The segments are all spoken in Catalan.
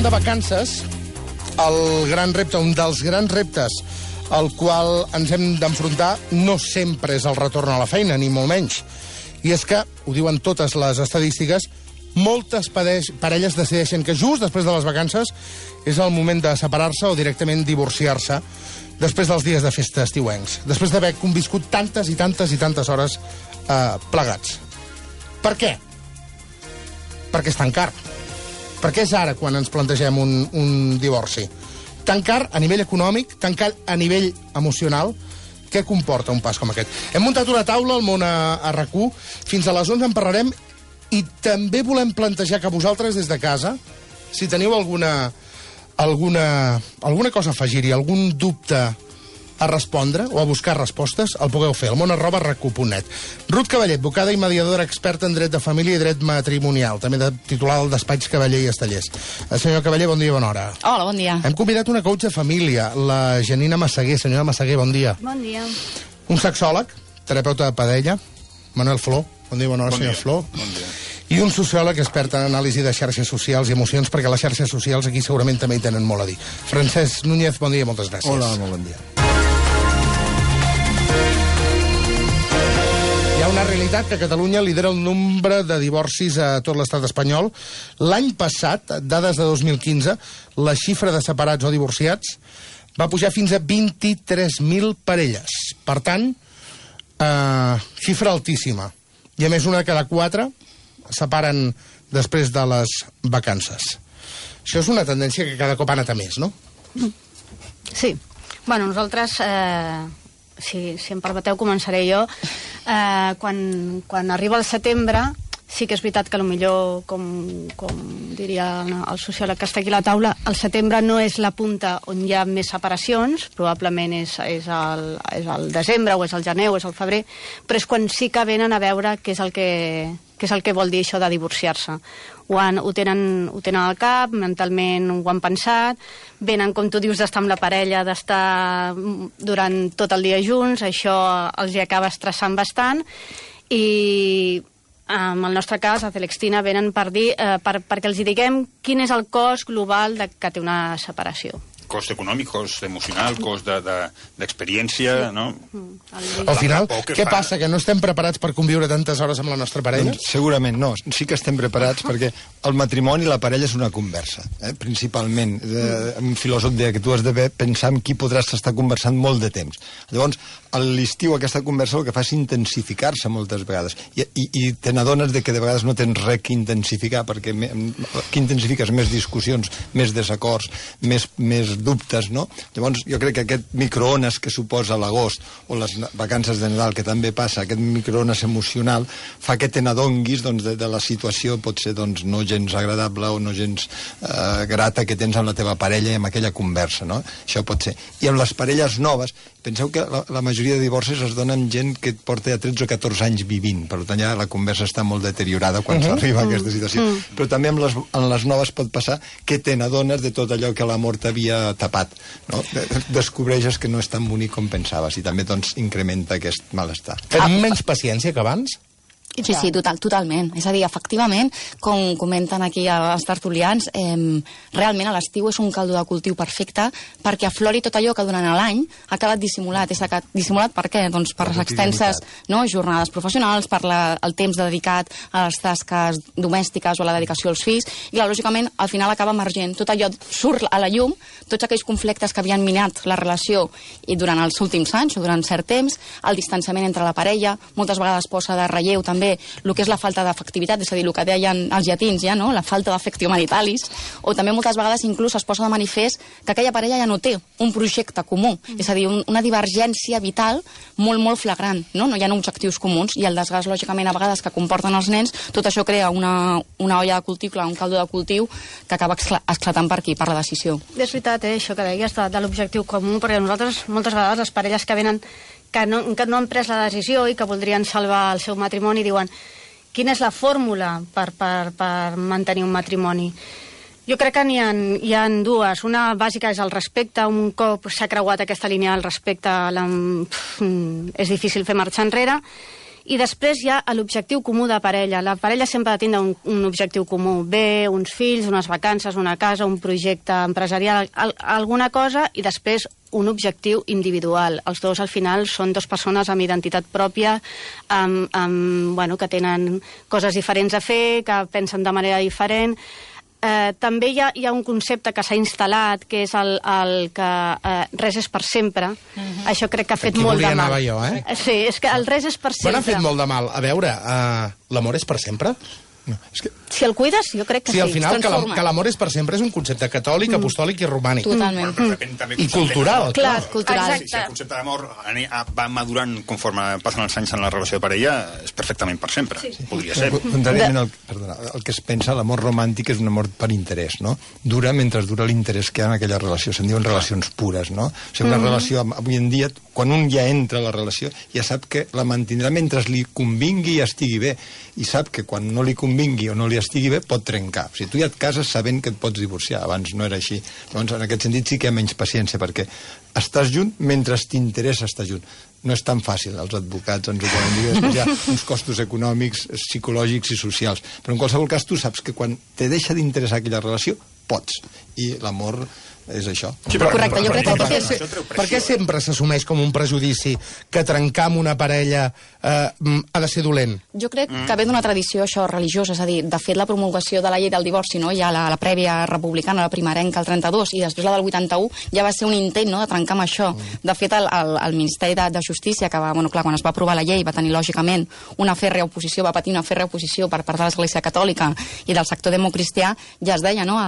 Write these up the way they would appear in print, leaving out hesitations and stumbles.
tornem de vacances, el gran repte, un dels grans reptes al qual ens hem d'enfrontar no sempre és el retorn a la feina, ni molt menys. I és que, ho diuen totes les estadístiques, moltes parelles decideixen que just després de les vacances és el moment de separar-se o directament divorciar-se després dels dies de festa estiuencs, després d'haver conviscut tantes i tantes i tantes hores plegats. Per què? Perquè és tan car. Perquè és ara quan ens plantegem un divorci. Tan car a nivell econòmic, tan car a nivell emocional. Què comporta un pas com aquest? Hem muntat una taula al món a RAC1. Fins a les 11 en parlarem i també volem plantejar que vosaltres des de casa, si teniu alguna cosa a afegir-hi, algun dubte a respondre o a buscar respostes, el pugueu fer al món@rac1.net. Ruth Cavaller, advocada i mediadora experta en dret de família i dret matrimonial, també titular del despatx Cavaller i Estellers. Senyor Cavaller, bon dia, bona hora. Hola, bon dia. Hem convidat una coach de família, la Janina Massaguer. Senyora Massaguer, bon dia. Bon dia. Un sexòleg, terapeuta de parella, Manuel Flor. Bon dia, bona hora, senyor Flor. Bon dia. I un sociòleg expert en anàlisi de xarxes socials i emocions, perquè les xarxes socials aquí segurament també hi tenen molt a dir. Francesc Núñez, bon dia, moltes gràcies. Hola, molt bon dia. Hi ha una realitat que Catalunya lidera el nombre de divorcis a tot l'estat espanyol. L'any passat, dades de 2015, la xifra de separats o divorciats va pujar fins a 23.000 parelles. Per tant, xifra altíssima. I a més, una de cada 4 separen després de les vacances. Això és una tendència que cada cop ha anat a més, no? Sí. Bueno, nosaltres, si em permeteu, començaré jo. Quan arriba el setembre, sí que és veritat que potser, com diria el sociòleg que està aquí a la taula, el setembre no és la punta on hi ha més separacions, probablement és el desembre, o és el gener, o és el febrer, però és quan sí que venen a veure què és el que vol dir això de divorciar-se. Ho tenen al cap, mentalment ho han pensat, venen, com tu dius, d'estar amb la parella, d'estar durant tot el dia junts, això els hi acaba estressant bastant, i en el nostre cas, a Celextina, venen per dir, perquè els hi diguem quin és el cost global que té una separació. Cost econòmic, cost emocional, cost d'experiència, no? Al final, què passa? Que no estem preparats per conviure tantes hores amb la nostra parella? Doncs segurament no. Sí que estem preparats perquè el matrimoni i la parella és una conversa, principalment. Un filòsof deia que tu has de pensar en qui podràs estar conversant molt de temps. Llavors, a l'estiu aquesta conversa el que fa és intensificar-se moltes vegades. I te n'adones que de vegades no tens res que intensificar, perquè que intensifiques més discussions, més desacords, més dubtes, no? Llavors, jo crec que aquest microones que suposa l'agost o les vacances de Nadal, que també passa, aquest microones emocional, fa que te n'adonguis de la situació, pot ser no gens agradable o no gens grata que tens amb la teva parella i amb aquella conversa, no? Això pot ser. I amb les parelles noves, penseu que la majoria de divorcis es dona amb gent que porta ja 13 o 14 anys vivint, per tant ja la conversa està molt deteriorada quan s'arriba a aquesta situació. Però també en les noves pot passar que te n'adones de tot allò que l'amor t'havia tapat, no? Descobreixes que no és tan bonic com pensaves i també incrementa aquest malestar. Tenim menys paciència que abans? Sí, totalment. És a dir, efectivament, com comenten aquí els tertulians, realment a l'estiu és un caldo de cultiu perfecte perquè aflori tot allò que durant l'any ha quedat dissimulat. Dissimulat per què? Doncs per les extenses jornades professionals, per el temps dedicat a les tasques domèstiques o a la dedicació als fills, i lògicament al final acaba emergent. Tot allò surt a la llum, tots aquells conflictes que havien minat la relació i durant els últims anys o durant cert temps, el distanciament entre la parella, moltes vegades posa de relleu també el que és la falta d'afectivitat, és a dir, el que deien els llatins ja, no? La falta d'afectio maritalis, o també moltes vegades inclús es posa de manifest que aquella parella ja no té un projecte comú, és a dir, una divergència vital molt, molt flagrant, no? No hi ha objectius comuns, i el desgast, lògicament, a vegades que comporten els nens, tot això crea una olla de cultiu, un caldo de cultiu que acaba esclatant per aquí, per la decisió. És veritat, això que deies de l'objectiu comú, perquè nosaltres, moltes vegades, les parelles que venen que no han pres la decisió i que voldrien salvar el seu matrimoni, diuen quina és la fórmula per mantenir un matrimoni. Jo crec que hi ha dues. Una bàsica és el respecte. Un cop s'ha creuat aquesta línia del respecte és difícil fer marxa enrere. I després hi ha l'objectiu comú de parella. La parella sempre ha de tindre un objectiu comú. Bé, uns fills, unes vacances, una casa, un projecte empresarial, alguna cosa, i després un objectiu individual. Els dos, al final, són dues persones amb identitat pròpia, que tenen coses diferents a fer, que pensen de manera diferent. També hi ha un concepte que s'ha instal·lat, que és el que res és per sempre. Això crec que ha fet molt de mal. Aquí volia anar jo, Sí, és que el res és per sempre. Bueno, ha fet molt de mal. A veure, l'amor és per sempre? No, és que... Si el cuides, jo crec que sí. Sí, al final, que l'amor és per sempre és un concepte catòlic, apostòlic i romànic. Totalment. I cultural. Clar, cultural. Si el concepte d'amor va madurant conforme passen els anys en la relació de parella, és perfectament per sempre. Podria ser. Contràriament el que es pensa, l'amor romàntic és un amor per interès, no? Dura mentre dura l'interès que hi ha en aquella relació. Se'n diuen relacions pures, no? O sigui, una relació, avui en dia, quan un ja entra a la relació, ja sap que la mantindrà mentre li convingui i estigui bé. I sap que quan no li convingui o no li estigui bé, pot trencar. O sigui, tu ja et cases sabent que et pots divorciar. Abans no era així. Llavors, en aquest sentit sí que hi ha menys paciència, perquè estàs junt mentre t'interessa estar junt. No és tan fàcil, els advocats ens ho poden dir, després hi ha uns costos econòmics, psicològics i socials. Però en qualsevol cas tu saps que quan te deixa d'interessar aquella relació, pots. I l'amor és això. Sí, correcte, jo crec que... Per què sempre s'assumeix com un prejudici que trencar amb una parella ha de ser dolent? Jo crec que ve d'una tradició això religiosa, és a dir, de fet la promulgació de la llei del divorci, no? Ja la prèvia republicana, la primerenca, el 32, i després la del 81, ja va ser un intent, no?, de trencar amb això. De fet, el Ministeri de Justícia, que va, bueno, clar, quan es va aprovar la llei va tenir, lògicament, una fèrrea oposició, va patir una fèrrea oposició per part de l'Església Catòlica i del sector democristià, ja es deia, no?,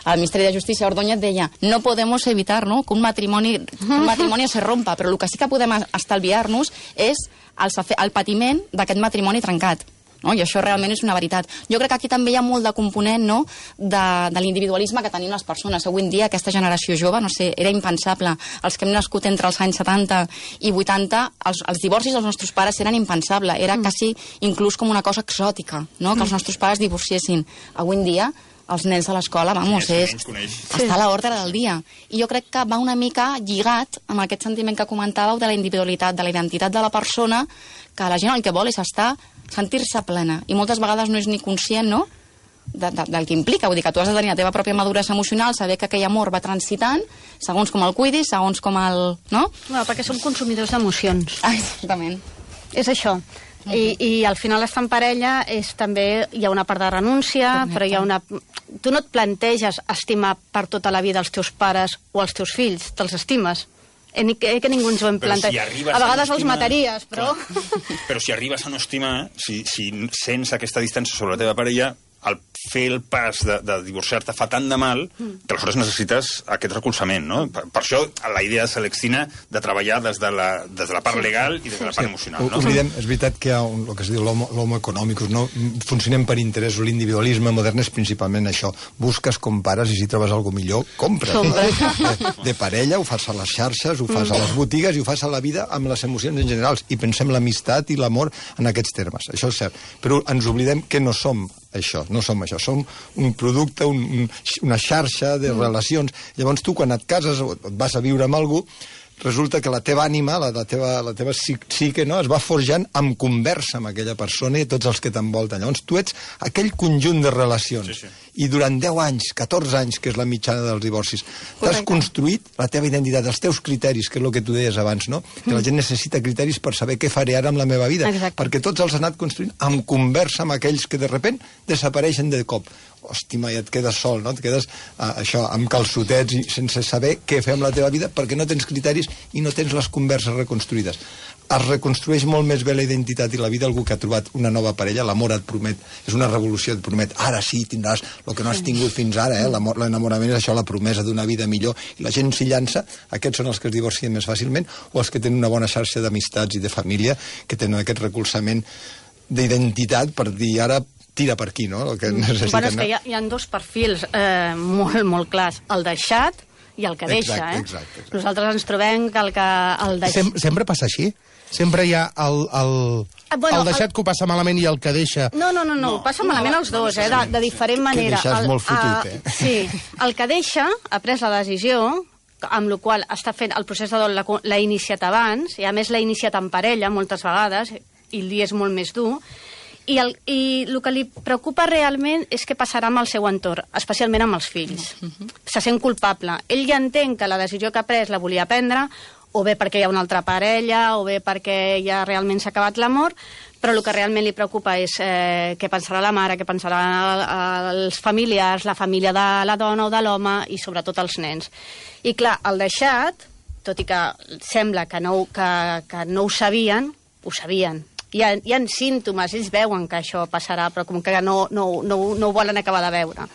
el Ministeri de Justícia, Ordóñez, deia, no podemos evitar, no?, que un matrimonio se rompa, però el que sí que podem estalviar-nos és el patiment d'aquest matrimoni trencat. No? I això realment és una veritat. Jo crec que aquí també hi ha molt de component, no?, de l'individualisme que tenim les persones. Avui en dia, aquesta generació jove, no sé, era impensable. Els que hem nascut entre els anys 70 i 80, els divorcis dels nostres pares eren impensables. Era quasi inclús com una cosa exòtica, no?, que els nostres pares divorciessin. Avui en dia, els nens a l'escola, vamos, està a l'ordre del dia. I jo crec que va una mica lligat amb aquest sentiment que comentàveu de la individualitat, de la identitat de la persona, que la gent el que vol és sentir-se plena. I moltes vegades no és ni conscient, no?, del que implica. Vull dir que tu has de tenir la teva pròpia maduresa emocional, saber que aquell amor va transitant, segons com el cuidis, segons com el... no? No, perquè som consumidors d'emocions. Exactament. És això. I al final estar en parella és també, hi ha una part de renúncia, però hi ha una... Tu no et planteges estimar per tota la vida els teus pares o els teus fills, te'ls estimes. Que ningú ens ho hem plantejat. Si a vegades els mataries, però... Però si arribes a no estimar, si sents aquesta distància sobre la teva parella, al fer el pas de divorciar-te fa tant de mal que aleshores necessites aquest recolzament, no? Per això la idea de Celestina de treballar des de la part legal i des de la part emocional, no? Oblidem, és veritat que hi ha el que es diu l'homo econòmicus, no? Funcionem per interessos, l'individualisme modern és principalment això. Busques, compares i si trobes alguna millor, compres. De parella, ho fas a les xarxes, ho fas a les botigues i ho fas a la vida amb les emocions en general. I pensem l'amistat i l'amor en aquests termes. Això és cert. Però ens oblidem que no som això, no som això, som un producte, una xarxa de relacions. Llavors tu quan et cases o et vas a viure amb algú, resulta que la teva ànima, la teva psique, no?, es va forjant amb conversa amb aquella persona i tots els que t'envolten. Llavors tu ets aquell conjunt de relacions. Sí. I durant 10 anys, 14 anys, que és la mitjana dels divorcis, t'has construït la teva identitat, els teus criteris, que és el que tu deies abans, no? Que la gent necessita criteris per saber què faré ara amb la meva vida. Exacte. Perquè tots els has anat construint amb conversa amb aquells que de sobte desapareixen de cop. Hòstima, i et quedes sol, no? Et quedes amb calçotets i sense saber què fer amb la teva vida perquè no tens criteris i no tens les converses reconstruïdes. Es reconstrueix molt més bé la identitat i la vida algú que ha trobat una nova parella, l'amor et promet, és una revolució, et promet, ara sí tindràs el que no has tingut fins ara, l'enamorament és això, la promesa d'una vida millor, i la gent s'hi llança, aquests són els que es divorcien més fàcilment, o els que tenen una bona xarxa d'amistats i de família, que tenen aquest recolzament d'identitat per dir, ara tira per aquí, no?, el que necessiten. Bueno, és que hi ha dos perfils molt, molt clars, el deixat i el que deixa, Exacte. Nosaltres ens trobem que el deixat... Sempre passa així? Sempre hi ha el deixat que ho passa malament i el que deixa... No, passa malament els dos, de diferent manera. Que deixar és molt fotut, Sí, el que deixa ha pres la decisió, amb la qual està fent el procés de dol, l'ha iniciat abans, i a més l'ha iniciat en parella moltes vegades, i el dia és molt més dur, i el que li preocupa realment és què passarà amb el seu entorn, especialment amb els fills. Se sent culpable. Ell ja entén que la decisió que ha pres la volia prendre, o bé perquè hi ha una altra parella, o bé perquè ja realment s'ha acabat l'amor, però el que realment li preocupa és què pensarà la mare, què pensarà els familiars, la família de la dona o de l'home, i sobretot els nens. I clar, el deixat, tot i que sembla que no ho sabien, ho sabien. Hi ha símptomes, ells veuen que això passarà, però com que no ho volen acabar de veure.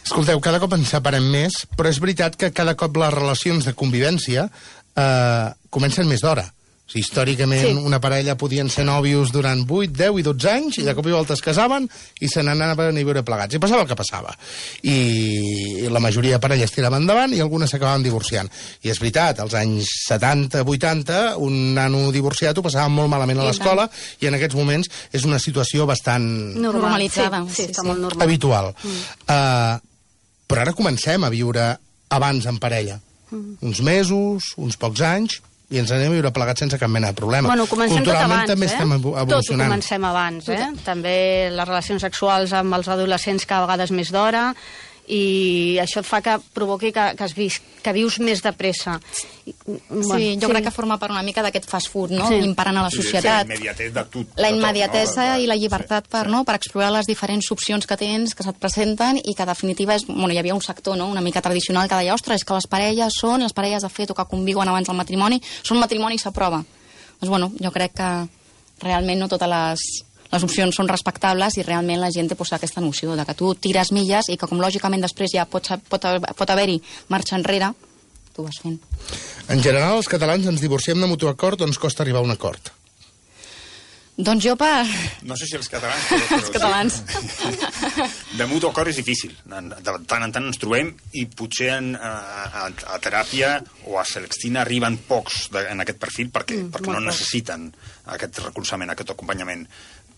Escolteu, cada cop ens separem més, però és veritat que cada cop les relacions de convivència comencen més d'hora. O sigui, històricament, una parella podien ser nòvios durant 8, 10 i 12 anys, i de cop i volta es casaven i se n'anaven a viure plegats. I passava el que passava. I la majoria de parelles tiraven endavant i algunes s'acabaven divorciant. I és veritat, als anys 70, 80, un nano divorciat ho passava molt malament a l'escola, i en aquests moments és una situació bastant normalitzada. Sí, està molt normal. Habitual. Però ara comencem a viure abans en parella. Uns mesos, uns pocs anys, i ens anem a viure plegats sense cap mena de problema. Bueno, comencem tot abans, també estem evolucionant. Tot ho comencem abans, També les relacions sexuals amb els adolescents cada vegada és més d'hora, i això et fa que provoqui que vius més de pressa. Sí, jo crec que forma part una mica d'aquest fast food, no? Imparant a la societat. La immediatesa i la llibertat per explorar les diferents opcions que tens, que se't presenten, i que, en definitiva, hi havia un sector una mica tradicional que deia, ostres, és que les parelles de fet o que conviuen abans del matrimoni, són matrimonis a prova. Doncs, jo crec que realment no totes les opcions són respectables, i realment la gent té aquesta noció de que tu tires milles i que, com lògicament després ja pot haver-hi marxa enrere, tu vas fent. En general, els catalans ens divorciem de mutu acord o ens costa arribar a un acord? Doncs jo No sé si els catalans... Però els catalans. De mutu acord és difícil. De tant en tant ens trobem, i potser a teràpia o a Celestina arriben pocs en aquest perfil perquè no necessiten aquest recolzament, aquest acompanyament.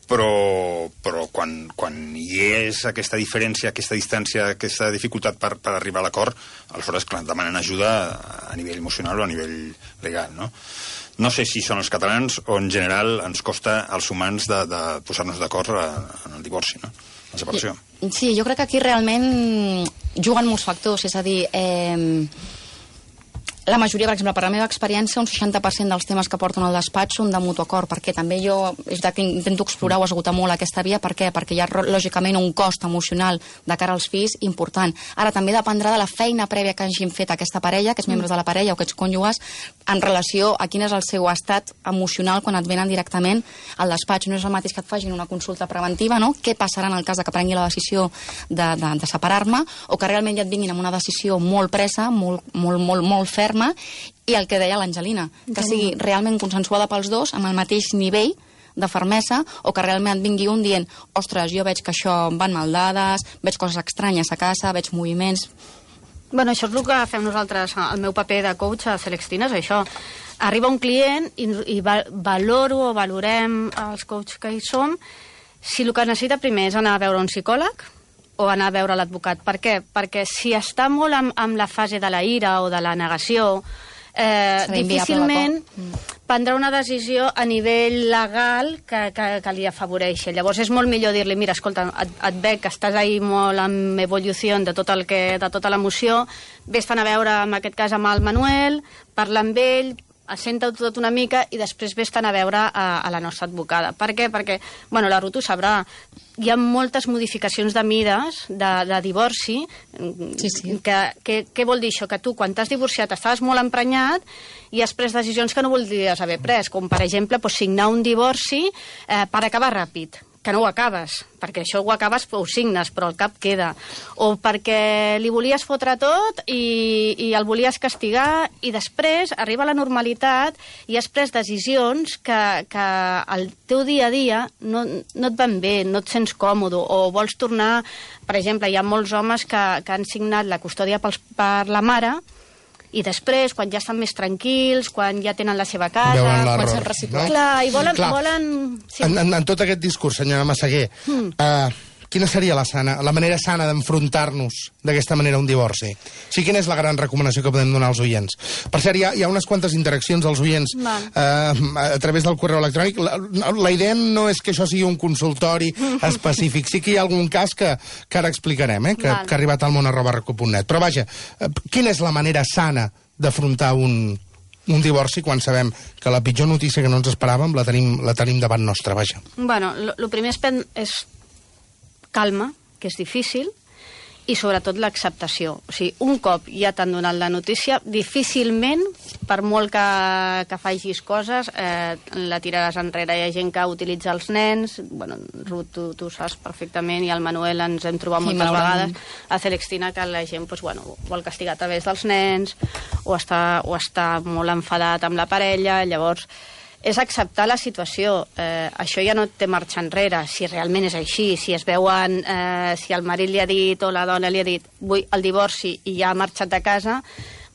Però quan hi és aquesta diferència, aquesta distància, aquesta dificultat per arribar a l'acord, aleshores, clar, demanen ajuda a nivell emocional o a nivell legal, no? No sé si són els catalans o en general ens costa als humans de posar-nos d'acord en el divorci, no? La separació. Sí, jo crec que aquí realment juguen molts factors, és a dir, la majoria, per exemple, per la meva experiència, un 60% dels temes que porten al despatx són de mutu acord, perquè també jo intento explorar o esgotar molt aquesta via. Per què? Perquè hi ha, lògicament, un cost emocional de cara als fills important. Ara, també dependrà de la feina prèvia que hagin fet aquesta parella, aquests membres de la parella o aquests cònjuges, en relació a quin és el seu estat emocional quan et venen directament al despatx. No és el mateix que et facin una consulta preventiva, no? Què passarà en el cas que prengui la decisió de separar-me, o que realment ja et vinguin amb una decisió molt presa, molt ferma, i el que deia l'Angelina, que sigui realment consensuada pels dos, amb el mateix nivell de fermesa, o que realment et vingui un dient, ostres, jo veig que això van mal dades, veig coses estranyes a casa, veig moviments... Bueno, això és el que fem nosaltres, el meu paper de coach a Celestina, és això. Arriba un client i valorem els coaches que hi som, si el que necessita primer és anar a veure un psicòleg o anar a veure l'advocat. Per què? Perquè si està molt amb la fase de la ira o de la negació, difícilment prendrà una decisió a nivell legal que li afavoreixi. Llavors és molt millor dir-li, mira, escolta, et veig que estàs ahí molt en evolució de tota l'emoció, vés-te'n a veure, en aquest cas, amb el Manuel, parla amb ell, assenta-ho tot una mica i després vés-te'n a veure a la nostra advocada. Per què? Perquè, bueno, la Ruth ho sabrà, hi ha moltes modificacions de mides de divorci. Sí. Què vol dir això? Que tu, quan t'has divorciat, estaves molt emprenyat i has pres decisions que no voldries haver pres, com, per exemple, signar un divorci per acabar ràpid, que no ho acabes, perquè això ho acabes, ho signes, però el cap queda. O perquè li volies fotre tot i el volies castigar, i després arriba la normalitat i has pres decisions que al teu dia a dia no et van bé, no et sents còmode, o vols tornar... Per exemple, hi ha molts homes que han signat la custòdia per la mare, i després, quan ja estan més tranquils, quan ja tenen la seva casa... Veuen l'error, no? Clar, i volen... Sí. En tot aquest discurs, senyora Massaguer, quina seria la manera sana d'enfrontar-nos d'aquesta manera a un divorci? O sigui, quina és la gran recomanació que podem donar als oients? Per cert, hi ha unes quantes interaccions als oients a través del correu electrònic. La idea no és que això sigui un consultori específic. Sí que hi ha algun cas que ara explicarem, que ha arribat al món@recu.net. Però vaja, quina és la manera sana d'afrontar un divorci quan sabem que la pitjor notícia que no ens esperàvem la tenim davant nostra, vaja? Bueno, el primer és calma, que és difícil, i sobretot l'acceptació. O sigui, un cop ja t'han donat la notícia, difícilment, per molt que facis coses, la tiraràs enrere. Hi ha gent que utilitza els nens, bueno, Ruth, tu saps perfectament, i el Manuel ens hem trobat moltes vegades, a Celestina, que la gent vol castigar a través dels nens, o està molt enfadat amb la parella, llavors és acceptar la situació. Això ja no té marxa enrere, si realment és així, si es veuen, si el marit li ha dit o la dona li ha dit vull el divorci i ja ha marxat de casa,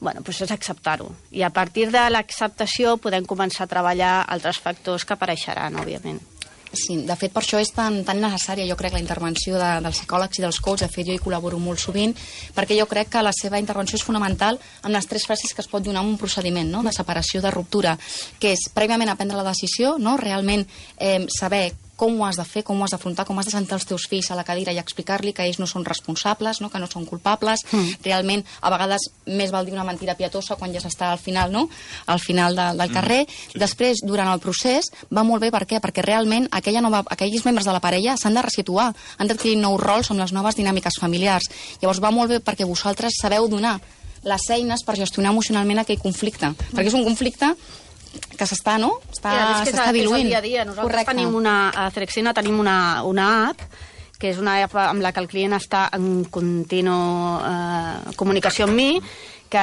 bueno, doncs és acceptar-ho. I a partir de l'acceptació podem començar a treballar altres factors que apareixeran, òbviament. Sí, de fet, per això és tan necessària, jo crec, la intervenció dels psicòlegs i dels coaches. De fet, jo hi col·laboro molt sovint, perquè jo crec que la seva intervenció és fonamental amb les 3 fases que es pot donar en un procediment, no?, de separació, de ruptura, que és prèviament prendre la decisió, no?, realment saber com ho has de fer, com ho has d'afrontar, com has de sentar els teus fills a la cadira i explicar-li que ells no són responsables, no?, que no són culpables. Realment, a vegades, més val dir una mentida pietosa quan ja s'està al final, no?, al final del carrer. Després, durant el procés, va molt bé. Per què? Perquè realment aquells membres de la parella s'han de resituar, han d'adquirir nous rols amb les noves dinàmiques familiars. Llavors va molt bé perquè vosaltres sabeu donar les eines per gestionar emocionalment aquell conflicte. Perquè és un conflicte que s'està, no?, s'està diluint. És el dia a dia. Nosaltres a Celestina tenim una app, que és una app amb la que el client està en contínua comunicació amb mi, que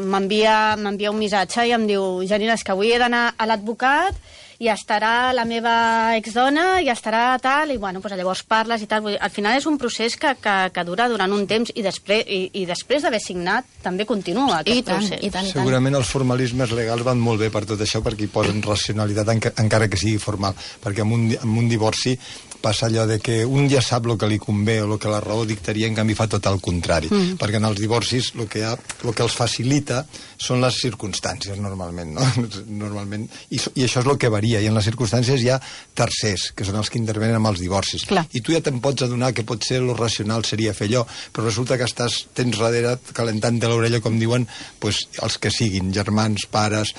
m'envia un missatge i em diu: Janina, és que avui he d'anar a l'advocat i estarà la meva exdona i estarà tal, i bueno, llavors parles i tal. Al final és un procés que dura durant un temps i després d'haver signat també continua aquest procés. Segurament els formalismes legals van molt bé per tot això, perquè hi posen racionalitat encara que sigui formal, perquè amb un divorci passa allò de que un ja sap el que li convé o el que la raó dictaria, en canvi fa tot el contrari, perquè en els divorcis el que els facilita són les circumstàncies, normalment, no? Normalment, i això és el que varia, i en les circumstàncies hi ha tercers, que són els que intervenen amb els divorcis. Clar. I tu ja te'n pots adonar que potser lo racional seria fer allò, però resulta que tens darrere calentant-te l'orella, com diuen, els que siguin, germans, pares,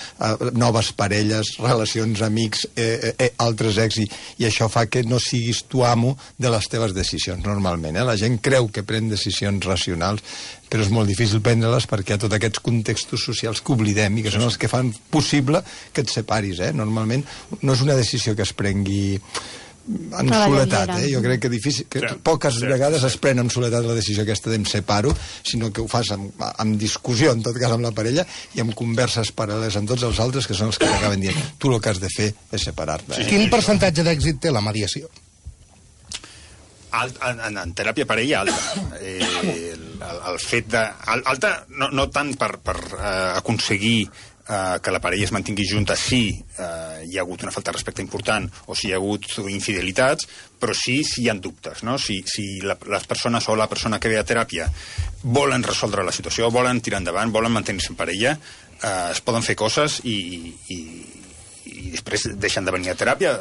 noves parelles, relacions, amics, altres ex, i això fa que no siguis tu amo de les teves decisions, normalment. La gent creu que pren decisions racionals, però és molt difícil prendre-les perquè hi ha tots aquests contextos socials que oblidem i que són els que fan possible que et separis. Normalment no és una decisió que es prengui en soledat. Jo crec que poques vegades es pren en soledat la decisió aquesta d'em separo, sinó que ho fas amb discussió, en tot cas amb la parella, i amb converses paral·leles amb tots els altres, que són els que t'acaben dient tu el que has de fer és separar-te. Quin percentatge d'èxit té la mediació? En teràpia parella, alta. El fet de... Alta no tant per aconseguir que la parella es mantingui junta si hi ha hagut una falta de respecte important o si hi ha hagut infidelitats, però sí si hi ha dubtes, no? Si les persones o la persona que ve a teràpia volen resoldre la situació, volen tirar endavant, volen mantenir-se en parella, es poden fer coses i després deixen de venir a teràpia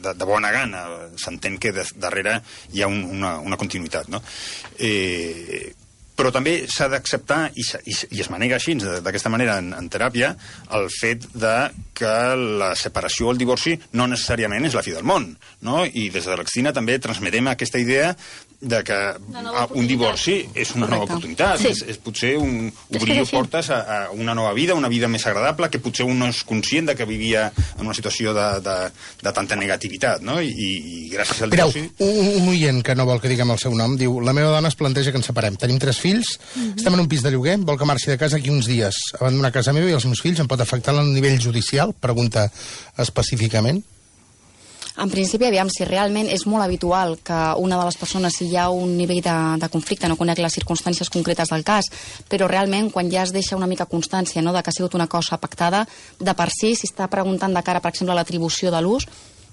de bona gana. S'entén que darrere hi ha una continuïtat, no? Però també s'ha d'acceptar, i es manega així, d'aquesta manera, en teràpia, el fet que la separació o el divorci no necessàriament és la fi del món, no? I des de l'Extina també transmetem aquesta idea de que un divorci és una nova oportunitat. És potser obrir portes a una nova vida, una vida més agradable, que potser un no és conscient de que vivia en una situació de tanta negativitat, no? I gràcies al divorci... Un oient que no vol que diguem el seu nom diu: la meva dona es planteja que ens separem. Tenim 3 fills, estem en un pis de lloguer, vol que marxi de casa aquí uns dies. Abandonar casa meva i els meus fills em pot afectar a nivell judicial? Pregunta específicament. En principi, aviam, si realment és molt habitual que una de les persones, si hi ha un nivell de conflicte, no conec les circumstàncies concretes del cas, però realment quan ja es deixa una mica constància, no?, de que ha sigut una cosa pactada, de per si està preguntant de cara, per exemple, a l'atribució de l'ús,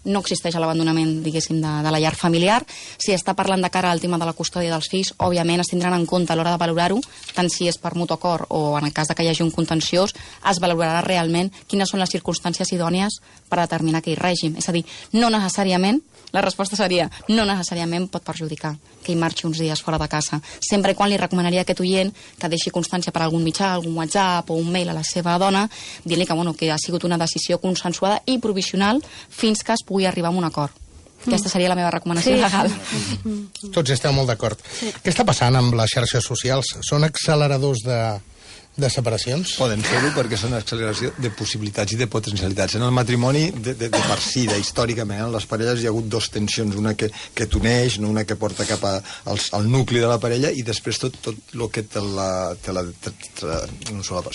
no existeix l'abandonament, diguéssim, de la llar familiar. Si està parlant de cara al tema de la custòdia dels fills, òbviament es tindran en compte a l'hora de valorar-ho, tant si és per mutu acord o en el cas que hi hagi un contenciós, es valorarà realment quines són les circumstàncies idònies per determinar aquell règim. És a dir, no necessàriament, la resposta seria, no necessàriament pot perjudicar que hi marxi uns dies fora de casa. Sempre i quan li recomanaria a aquest oient que deixi constància per algun mitjà, algun WhatsApp o un mail a la seva dona, dient-li que ha sigut una decisió consensuada i provisional fins que es pugui arribar a un acord. Aquesta seria la meva recomanació legal. Tots esteu molt d'acord. Què està passant amb les xarxes socials? Són acceleradors de separacions? Poden ser-ho perquè són acceleració de possibilitats i de potencialitats. En el matrimoni, de per si, històricament, en les parelles hi ha hagut dues tensions, una que t'uneix, una que porta cap al nucli de la parella, i després tot el que te la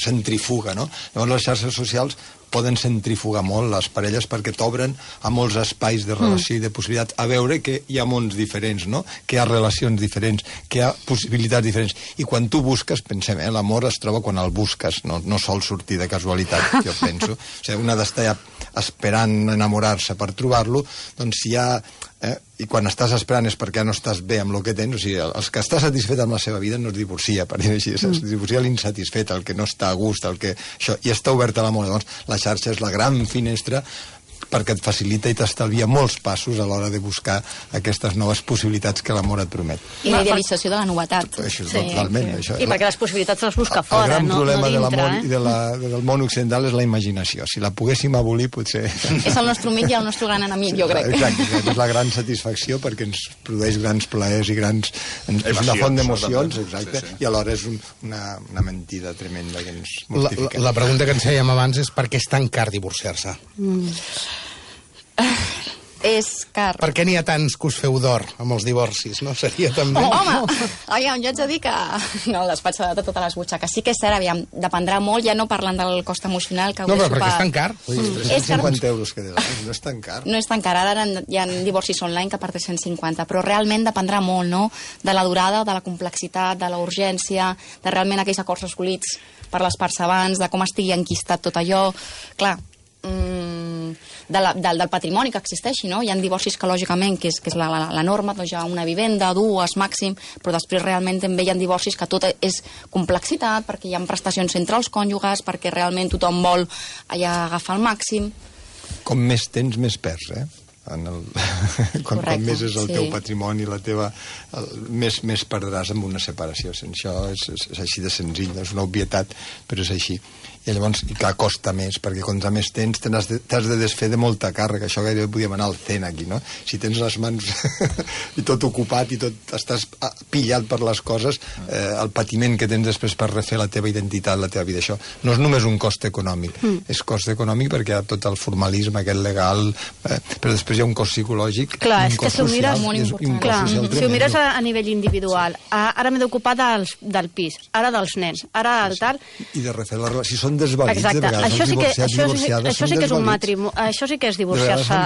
centrifuga, no? Llavors les xarxes socials poden centrifugar molt les parelles perquè t'obren a molts espais de relació i de possibilitats, a veure que hi ha mons diferents, no? Que hi ha relacions diferents, que hi ha possibilitats diferents. I quan tu busques, pensem, l'amor es troba quan el busques, no sol sortir de casualitat, jo penso. O sigui, un ha d'estar esperant enamorar-se per trobar-lo, doncs si hi ha... I quan estàs esperant és perquè no estàs bé amb el que tens, o sigui, els que està satisfet amb la seva vida no es divorcia, per dir així, es divorcia l'insatisfet, el que no està a gust, i està obert a l'amor. Llavors, la xarxa és la gran finestra perquè et facilita i t'estalvia molts passos a l'hora de buscar aquestes noves possibilitats que l'amor et promet. I la idealització de la novetat. Això és totalment. Això, I perquè les possibilitats les busca fora, no dintre. El gran problema de l'amor i del món occidental és la imaginació. Si la poguéssim abolir, potser... És el nostre amic i el nostre gran enemic, jo crec. Exacte, és la gran satisfacció perquè ens produeix grans plaers i grans... És una font d'emocions, exacte, i alhora és una mentida tremenda que ens mortifica. La pregunta que ens fèiem abans és per què és tan car divorciar-se? És car. Per què n'hi ha tants que us feu d'or amb els divorcis, no? Seria també... Home, aviam, jo haig de dir que no, el despatx de totes les butxaques. Sí que és cert, aviam, dependrà molt, ja no parlant del cost emocional que... No, però perquè és tan car. 350 euros que no és tan car. No és tan car, ara hi ha divorcis online que per 350, però realment dependrà molt, no?, de la durada, de la complexitat, de la urgència, de realment aquells acords assolits per les parts abans, de com estigui enquistat tot allò. Clar, del patrimoni que existeixi, no? Hi ha divorcis que, lògicament, que és la norma, doncs hi ha una vivenda, dues, màxim, però després realment també hi ha divorcis que tot és complexitat, perquè hi ha prestacions entre els cònjuges, perquè realment tothom vol allà agafar el màxim. Com més tens, més perds, quan més és el teu patrimoni, més perdràs amb una separació. Això és així de senzill, és una obvietat, però és així. I llavors, clar, costa més, perquè quan més tens t'has de desfer de molta càrrega. Això gairebé podíem anar al CEN aquí, no? Si tens les mans i tot ocupat i tot estàs pillat per les coses, el patiment que tens després per refer la teva identitat, la teva vida, això no és només un cost econòmic, és cost econòmic perquè hi ha tot el formalisme aquest legal, però després hi ha un cost psicològic, un cost social i un cost social. Si ho mires a nivell individual, ara m'he d'ocupar del pis, ara dels nens, ara el tal... I de refer la relació, si són desvalits, de vegades els divorciats, divorciades, això sí que és un matrimoni, això sí que és divorciar-se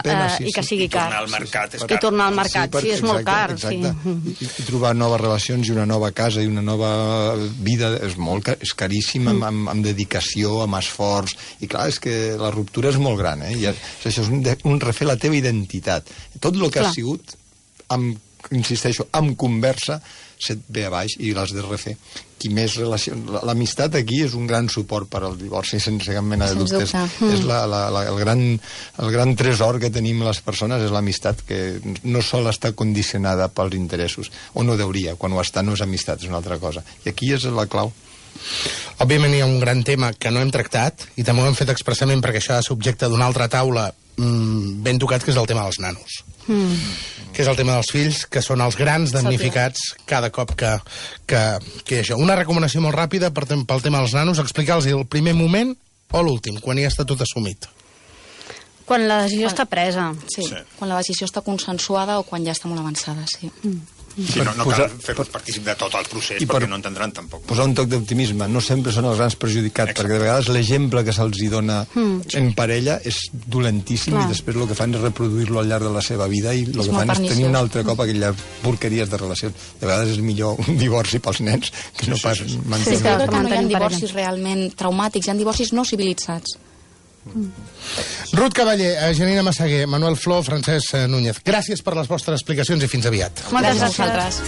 i que sigui car. I tornar al mercat, sí, és molt car. I trobar noves relacions i una nova casa i una nova vida és caríssim, amb dedicació, amb esforç, i clar, és que la ruptura és molt gran, això és un refer la teva identitat. Tot el que has sigut, insisteixo, amb conversa, se't ve a baix i l'has de refer. L'amistat aquí és un gran suport per al divorci, sense cap mena de dubtes. És el gran tresor que tenim les persones, és l'amistat, que no sol estar condicionada pels interessos, o no deuria, quan ho està no és amistat, és una altra cosa. I aquí és la clau. Òbviament hi ha un gran tema que no hem tractat, i també ho hem fet expressament perquè això ha de ser objecte d'una altra taula ben tocat, que és el tema dels nanos. Que és el tema dels fills, que són els grans damnificats cada cop que hi ha això. Una recomanació molt ràpida pel tema dels nanos, explicar-los el primer moment o l'últim, quan ja està tot assumit. Quan la decisió està presa. Sí, quan la decisió està consensuada o quan ja està molt avançada, sí. Sí, no cal fer-los partícip de tot el procés, perquè no entendran tampoc. Posar un toc d'optimisme, no sempre són els grans perjudicats, perquè de vegades l'exemple que se'ls dona en parella és dolentíssim i després el que fan és reproduir-lo al llarg de la seva vida i el que fan és tenir un altre cop aquelles porqueries de relacions. De vegades és millor un divorci pels nens que no pas mantenir. Sí, però que no hi ha divorcis realment traumàtics, hi ha divorcis no civilitzats. Ruth Cavaller, Janina Massaguer, Manuel Flor, Francesc Núñez. Gràcies per les vostres explicacions i fins aviat. Moltes Gràcies a vosaltres.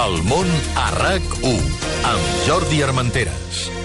El món a RAC1 amb Jordi Armenteres.